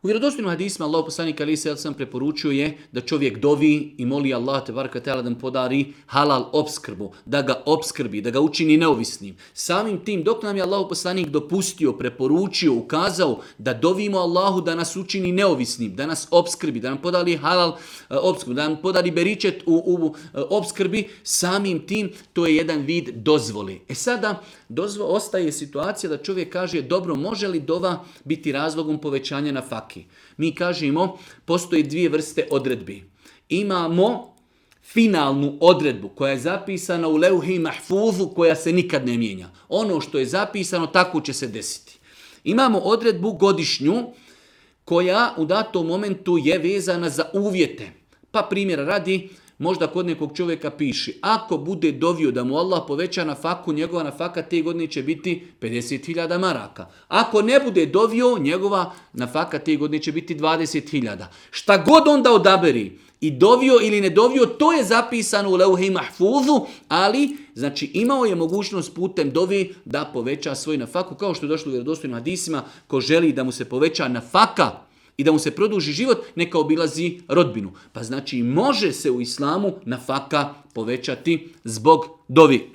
U vjerodostojnim hadisima Allahov poslanik alejhi ve sellem preporučio je da čovjek dovi i moli Allah te bareka teala da mu podari halal opskrbu, da ga opskrbi, da ga učini neovisnim. Samim tim dok nam je Allahov poslanik dopustio, preporučio, ukazao da dovimo Allahu da nas učini neovisnim, da nas opskrbi, da nam podari halal opskrbu, da nam podari beričet u opskrbi, samim tim to je jedan vid dozvole. Sada ostaje situacija da čovjek kaže dobro, može li dova biti razlogom povećanja nafake? Mi kažemo, postoje dvije vrste odredbi. Imamo finalnu odredbu koja je zapisana u leuhi mahfuzu koja se nikad ne mijenja. Ono što je zapisano tako će se desiti. Imamo odredbu godišnju koja u datom momentu je vezana za uvjete. Pa primjera radi, možda kod nekog čovjeka piše, ako bude dovio da mu Allah poveća nafaku, njegova nafaka te godine će biti 50.000 maraka. Ako ne bude dovio, njegova nafaka te godine će biti 20.000. Šta god onda odaberi, i dovio ili ne dovio, to je zapisano u leuhi mahfuzu, ali znači imao je mogućnost putem dovi da poveća svoj nafaku, kao što je došlo u vjerodostojnim hadisima, ko želi da mu se poveća nafaka i da mu se produži život, neka obilazi rodbinu. Pa znači može se u islamu nafaka povećati zbog dovi.